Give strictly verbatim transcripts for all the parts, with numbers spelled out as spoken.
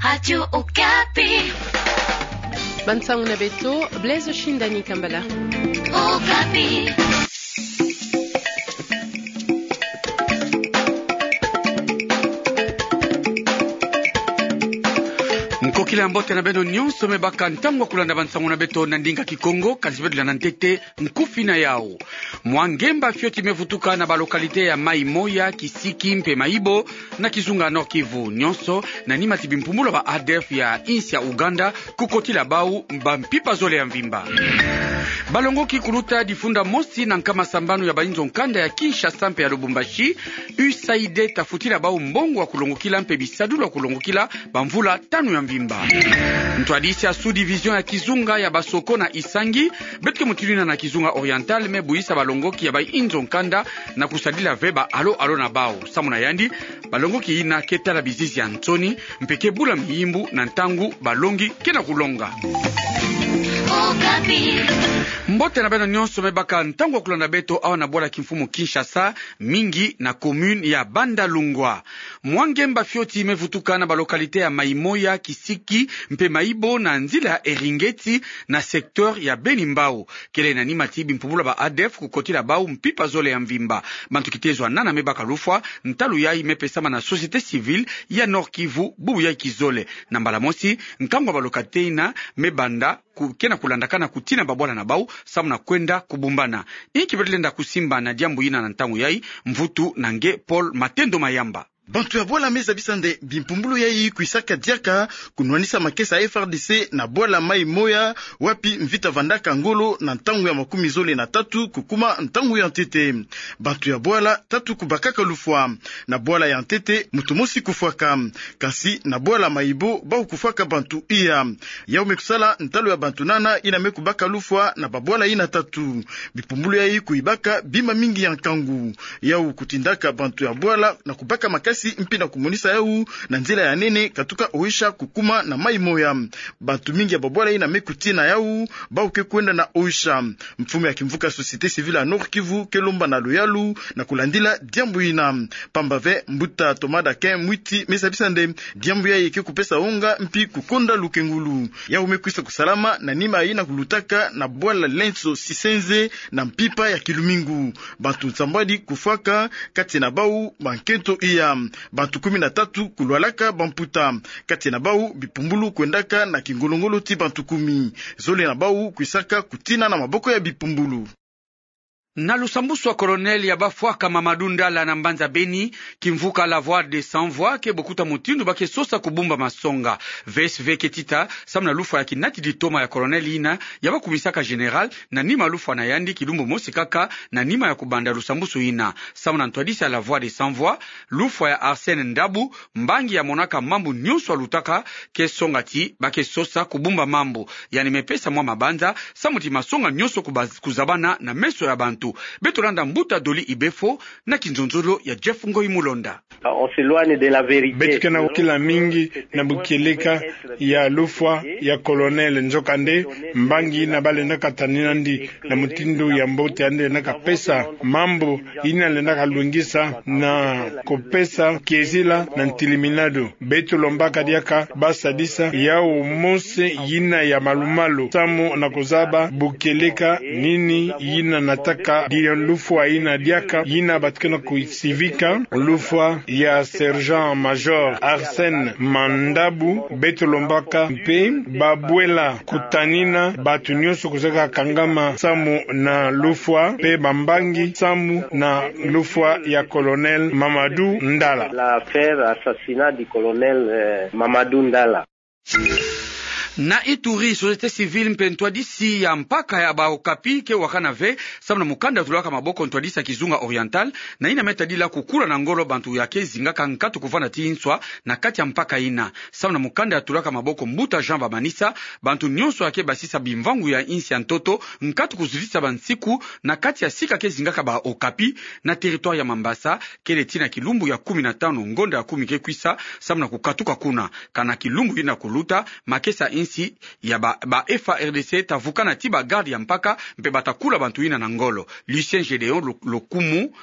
Radio Okapi. Bansango na beto, Blaise Shindani Kambala. Okapi. Nkokila ya mbote na beno nyonso, me baka ntango ya kulanda bansango na beto na ndinga Kikongo, kasi beto landa ntete nkufi na yau. Mwa ngemba fioti me vutuka na ba localité ya Maï-Moya, Kisiki mpe Mayibo, na kizunga Nord-Kivu. Nyonso na nima ti bimpumbulu ya ba ADF ya insi ya Ouganda, kukotila bau ba mpimpa zole ya mvimba. Balongoki kuluta difunda mosi na nkama sambanu ya bainzo nkanda ya Kinshasa mpe ya Lubumbashi, U S A I D tafutila bau mbongo ya kulongokila mpe bisadulu ya kulongokila bamvula tanu ya mvimba. Ntwadisi ya sous-division ya kizunga ya Basoko na Isangi, beto ke mutindu yina na kizunga Oriental, me buyisa balongoki ya bainzo nkanda na kusadila ve ba alo alo na bau. Samu na yandi, balongoki yina ke tala bizizi ya nsoni, mpe ke bula miyimbu na ntangu balongi ke na kulonga. Mbote na beno nyonso, me baka ntango ya kulanda beto awa na bwala kimfumu Kinshasa, mingi na commune ya Bandalungwa. Mwa ngemba fioti me vutuka na ba localité ya Maï-Moya, Kisiki mpe Mayibo na nzila ya Eringeti na secteur ya Beni-Mbau. Kele na nima ti bimpumbulu ya ba ADF kukotila bau mpimpa zole ya mvimba. Bantu kitezo ya nana me baka lufwa, ntalu yayi me pesama na société civile ya Nord-Kivu bubu yayi kizole. Na mbala mosi, nkangu ya ba localité yina me banda ku-, ke na kulandakana kutina babwala na bau, samu na kwenda kubumbana. Inki beto lenda kusimba na diambu yina na ntangu yayi? Mvutu na nge Paul Matendo Mayamba. Bantu ya bwala me zabisa nde bimpumbulu yayi kwisaka diaka kunwanisa makesa ya F R D C na bwala Maï-Moya, wapi mvita vandaka ngolo na ntangu ya makumi zole na tatu kukuma ntangu ya ntete. Bantu ya bwala tatu kubakaka lufwa. Na bwala ya ntete, muntu mosi kufwaka. Kasi na bwala Mayibo, bau kufwaka bantu iya. Yau me kusala ntalu ya bantu nana yina me kubaka lufwa na babwala yina tatu. Bimpumbulu yayi kuyibaka bima mingi ya nkangu. Yau kutindaka bantu ya bwala na kubaka makasi mpi na kumonisa yau na nzila ya nene katuka Oicha kukuma na Maï-Moya. Bantu mingi ya babwala yina me kutina yau, bau ke kwenda na Oicha. Mfumu ya kimvuka société civile ya Nord-Kivu ke lomba na luyalu na kulandila diambu yina. Pamba ve, mbuta Thomas Dakin Mwiti me zabisa nde diambu yayi ke kupesa wonga mpi kukonda lukengulu. Yau me kwisa kusalama na nima yina kulutaka na bwala Lenso Sisenze na mpimpa ya kilumingu. Bantu nsambwadi kufwaka, kati na bau bankento iya. Bantu kumi na tatu kulwalaka bamputa. Kati na bau bimpumbulu kwendaka na kingolo-ngolo ti bantu kumi. Zole na bau kwisaka kutina na maboko ya bimpumbulu. Na lusambusu ya colonel ya bafwaka Mamadou Ndala na mbanza Beni, kimvuka La Voix des Sans Voix ke bokuta mutindu ba ke sosa kubumba masonga. V S V ke tita samu na lufwa ya kinatidi toma ya colonel yina ya bakumisaka général, na nima lufwa na yandi kilumbu mosi kaka na nima ya kubanda lusambusu yina. Samu na ntwadisi ya La Voix des Sans Voix, lufwa ya Arsène Ndabu, mbangi ya monaka mambu nyonso ya lutaka, ke songa ti ba ke sosa kubumba mambu. Yandi me pesa mwa mabanza samu ti masonga nyonso kuba-, kuzabana na meso ya bantu. Beto landa mbuta Dolly Ibefo na kinzonzolo ya Jeff Ngoyi Mulonda. On s'éloigne de la vérité. Beto ke na kukila mingi na bukieleka ya lufwa ya colonel, nzokande mbangi yina balendaka tanina yandi na mutindu ya mbote, yandi lendaka pesa mambu yina lendaka lungisa na kupesa kiezila na ntiliminado. Beto lombaka diaka ba sadisa yau mosi yina ya malu-malu samu na kuzaba bukieleka nini yina nataka dia lufwa yina diaka yina bantu ke na kusivika, lufwa ya sergent-major Arsène Mandabu. Beto lombaka mpe babwela kutanina bantu nyonso kuzeka kangama samu na lufwa, mpe bambangi samu na lufwa ya colonel Mamadou Ndala. L'affaire assassinat du colonel, euh, Mamadou Ndala. Na Ituri, société civile mpe ntwadisi ya mpaka ya ba Okapi ke wakana ve samu na mukanda ya tulaka maboko ntwadisi ya kizunga Oriental, na yina me tadila kukula na ngolo bantu ya ke zingaka nkatu kuvanda ti nswa na kati ya mpaka yina. Samu na mukanda ya tulaka maboko mbuta Jean Bamanisa, bantu nyonso ya ke basisa bimvangu ya insi ya ntoto nkatu kuzitisa bansiku na kati ya sika ke zingaka ba Okapi na territoire ya Mambasa, kele ti na kilumbu ya kumi na tanu ngonda ya kumi ke kwisa, samu na kukatuka kuna. Kana kilumbu yina kuluta, makesa insi ya ba, ba F A R D C tavukana ti ba garde ya mpaka, mpe batakula bantu yina na ngolo. Lucien Gédéon Lo-, Lokumu,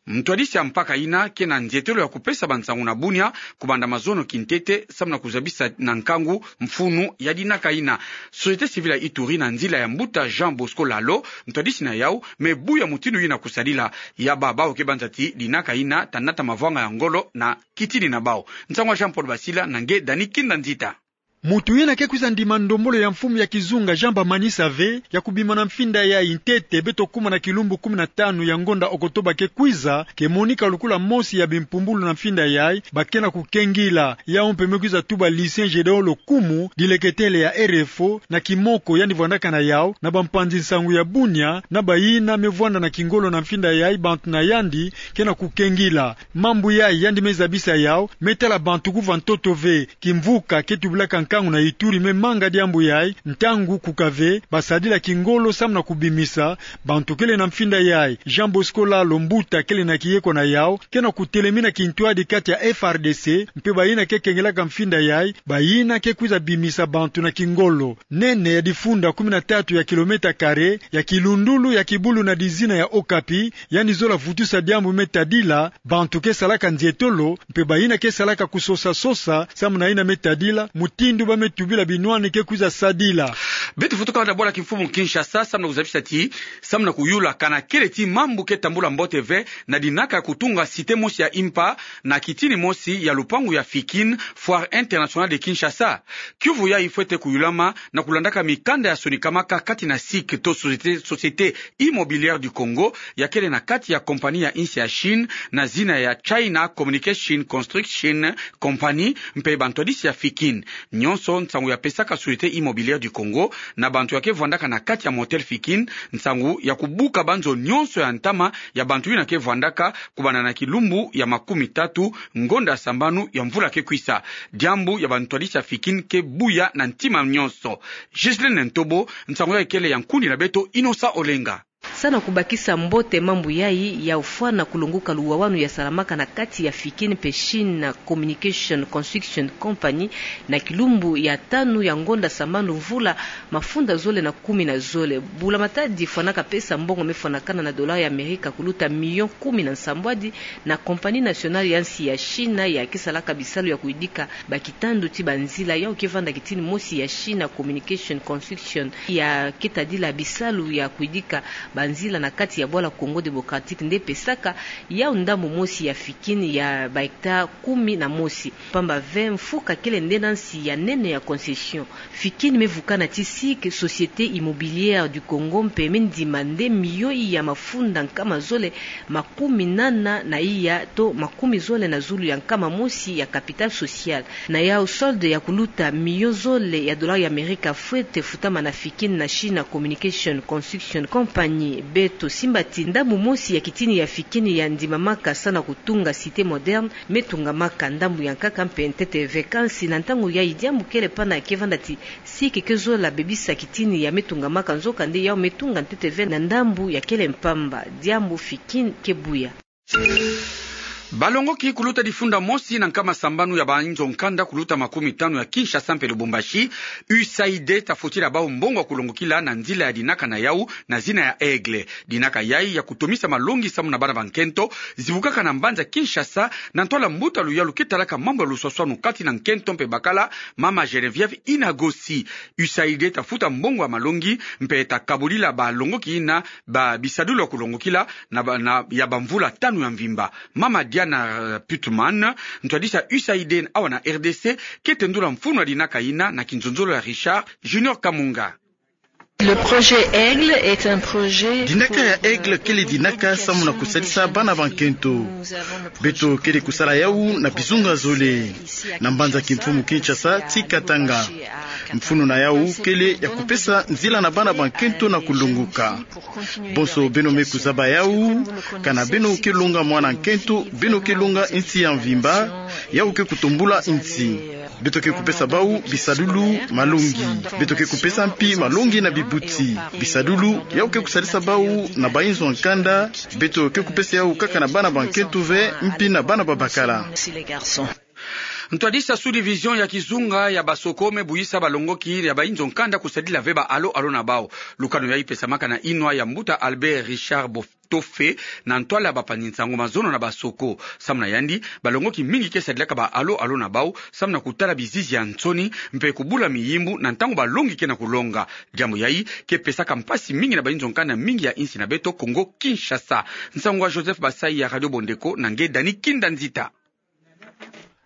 Mtwadisi ya mpaka ina ke na nzietelo ya kupesa bansangu na bunia, kubanda mazono kintete, samu na kuzabisa na nkangu mfunu ya dinaka ina. Société civile ya Ituri na nzila ya mbuta Jean Bosco Lalo, mtwadisi na yau, me buya mutindu ina kusadila, ya baba oke banza ti dinaka ina ta nata mavwanga ya ngolo na kitini na bau. Nsangu ya Jean Paul Basila na nge Dani Kinda Nzita. Mutu ina ke kwiza ndima ndombolo ya mfumu ya kizunga Jean Bamani Save ya kubima na mfinda yayi ntete beto kuma na kilumbu kumi na tanu ya ngonda Okotoba ke kwiza, ke monika lukula mosi ya bimpumbulu na mfinda yayi, ba ke na kukengila. Yau mpe me kwiza tuba Lucien Gédéon Lokumu, dileketele ya R F O, na kimoko yandi vwandaka na yau, na bampanzi nsangu ya bunia, na bayina me vwanda na kingolo na mfinda yayi, bantu na yandi ke na kukengila. Mambu yayi yandi me zabisa yau, me tala bantu kuva ntoto ve. Kimvuka ke tubilaka nkangu na Ituri me manga diambu yayi, ntangu kukave, basadila kingolo samu na kubimisa bantu kele na mfinda yayi. Jean Bosco Lalo, mbuta kele na kiyeko na yau, ke na kutelemina kintwadi kati ya F R D C mpe bayina ke kengelaka mfinda yayi, bayina ke kwiza bimisa bantu na kingolo. Nene ya difunda kumi na tatu ya kilomètre carré ya kilundulu ya kibulu na dizina ya Okapi, yandi zola vutusa diambu me tadila bantu ke salaka nzietolo, mpe bayina ke salaka kusosa-sosa, samu na yina me tadila mutindu ba me tubila binwani ke kwiza sadila. Beto fweti kala na bwala kimfumu Kinshasa, samu na kuzabisa ti, samu na kuyula kana kele ti mambu ke tambula mbote ve na dinaka ya kutunga cité mosi ya impa na kitini mosi ya lupangu ya Fikin, Foire Internationale de Kinshasa. Kiuvu yayi fwete kuyulama na kulandaka mikanda ya sonikamaka kati na SIC to Société, Société Immobilière du Congo, ya kele na kati ya kompani ya insi ya Chine, na zina ya China Communication Construction Company, mpe bantwadisi ya Fikin. Nyonso nsangu ya pesaka Société Immobilière du Congo na bantu ya ke vwandaka na kati ya Motel Fikin, nsangu ya kubuka banzo nyonso ya ntama ya bantu yina ke vwandaka, kubanda na kilumbu ya makumi tatu ngonda sambanu ya mvula ke kwisa. Diambu ya bantwadisi ya Fikin ke buya na ntima nyonso. Ghislaine Ntobo, nsangu yayi kele ya nkundi na beto Innocent Olenga. Samu na kubakisa mbote mambu yayi, ya ufwana kulonguka luwawanu ya salamaka na kati ya Fikin mpe China Communication Construction Company, na kilumbu ya tanu ya ngonda sambanu mvula mafunda zole na kumi na zole. Bula Matadi fwanaka pesa mbongo me fwanakana na dollar ya Amerika kuluta million kumi na nsambwadi na Compagnie Nationale ya nsi ya China ya ke salaka bisalu ya kuidika bakitandu ti banzila, yau ke vanda kitini mosi ya China Communication Construction ya ke tadila bisalu ya kuidika banzila na kati ya bwala Congo Démocratique nde pesaka yau ndambu mosi ya Fikin ya ba hectare kumi na mosi. Pamba ve mfuka kele nde na nsi ya nene ya concession. Fikin me vukana ti SIC, Société Immobilière du Congo, mpe me ndima nde miyo ya mafunda nkama zole makumi nana na iya to makumi zole na zulu ya nkama mosi ya capital social. Na yau solde ya kuluta miyo zole ya dollar ya Amerika fwete futama na Fikin na China Communication Construction Company. Beto simba ti ndambu mosi ya kitini ya Fikin ya ndimamaka samu na kutunga cité moderne me tungamaka, ndambu ya nkaka mpe ntete ve kansi na ntangu yayi diambu kele pana ke vanda ti SIC ke zola bebisa kitini ya me tungamaka, nzokande yau me tunga ntete ve na ndambu ya kele mpamba, diambu Fikin ke buya. Balongoki kuluta difunda mosi na nkama sambanu ya bainzo nkanda kuluta makumi tanu ya Kinshasa mpe Lubumbashi, U S A I D ta fotila bau mbongo ya kulongokila na nzila ya dinaka na yau na zina ya Aigle. Dinaka yayi ya kutomisa malongi samu na bana ba nkento zibukaka na mbanza Kinshasa, na ntwala mbuta luyalu ke talaka mambu ya luswaswanu kati na nkento mpe bakala, mama Geneviève Inagosi. U S A I D ta futa mbongo ya malongi mpe ta kabulila balongoki yina ba bisadulu ya kulongokila na ba, na, ya bamvula tanu ya mvimba. Mama Diana, eh, Putman, ntwadisi ya U S A I D awa na R D C, ke tendula mfunu ya dinaka yina na kinzonzolo ya Richard Junior Kamunga. Le projet Aigle est un projet. Dinaka ya Aigle kele dinaka samu na kusalisa bana ba nkento. Beto kele kusala yau na bizunga zole. Na mbanza kimfumu Kinshasa ti Katanga. Mfunu na yau kele ya kupesa nzila na bana ba nkento na kulongoka. Bonso beno me kuzaba yau, kana beno ke longa mwana nkento, beno ke longa nsi ya mvimba, yau ke kutombula nsi. Beto ke kupesa bau bisadulu, malongi. Beto ke kupesa mpi malongi na bibuti. Bisadulu, yau ke kusalisa bau na bainzo ya nkanda, beto ke kupesa yau kaka na bana ba nkento ve, mpi na bana ba bakala. Ntwadisa sous-division ya kizunga ya Basoko me buyisa balongoki ya bainzo nkanda kusadila ve ba alo alo na bau. Lukanu yayi pesamaka na inwa ya mbuta Albert Richard Botofe na ntwala bapanzi nsango mazono na Basoko. Samu na yandi, balongoki mingi ke sadilaka ba alo alo na bau samu na kutala bizizi ya nsoni mpe kubula miyimbu na ntangu balongi ke na kulonga. Diambu yayi ke pesaka mpasi mingi na bainzo nkanda mingi ya insi na beto Kongo Kinshasa. Nsangu ya Joseph Basai ya Radio Bondeko na nge Dani Kinda Nzita.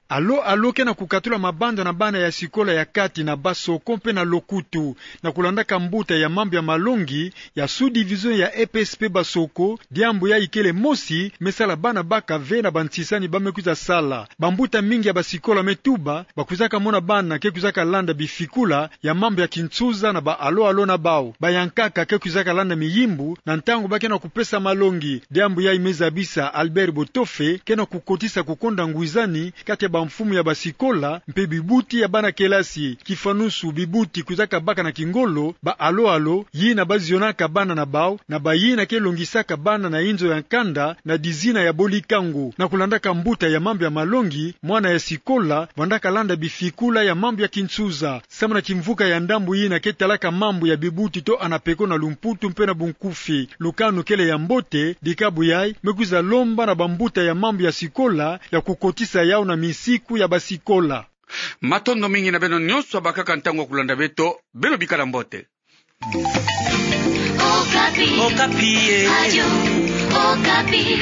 Alo alo ke na kukatula mabanda na bana ya sikola ya kati na Basoko mpe na Lokutu. Na kulandaka mbuta ya mambu ya malongi ya sous-division ya E P S P Basoko, diambu yayi kele mosi me sala bana baka ve na bantisani ba me kwiza sala. Bambuta mingi ya basikola me tuba, bakwizaka mona bana ke kwizaka landa bifikula ya mambu ya kinsuza na ba alo alo na bau. Bayankaka ke kwizaka landa miyimbu na ntangu ba ke na kupesa malongi. Diambu yayi me zabisa Albert Botofe ke na kukotisa kukonda ngwizani kati ya bamfumu ya basikola mpe bibuti ya bana kelasi. Kifanusu, bibuti kwizaka baka na kingolo ba alo alo yina bazionaka bana na bau na bayina ke longisaka bana na inzo ya nkanda na dizina ya bolikangu. Na kulandaka mbuta ya mambu ya malongi, mwana ya sikola vandaka landa bifikula ya mambu ya kinsuza. Samu na kimvuka ya ndambu yina ke talaka mambu ya bibuti to anapeko na lumputu mpe na bunkufi, lukanu kele ya mbote. Dikabu yayi me kwiza lomba na bambuta ya mambu ya sikola ya kukotisa yau na misiku ya basikola. Matondo mingi na beno nyonso bakaka ntangu ya kulanda beto. Beno bikala mbote. Okapi. Okapi, eh. Radio Okapi.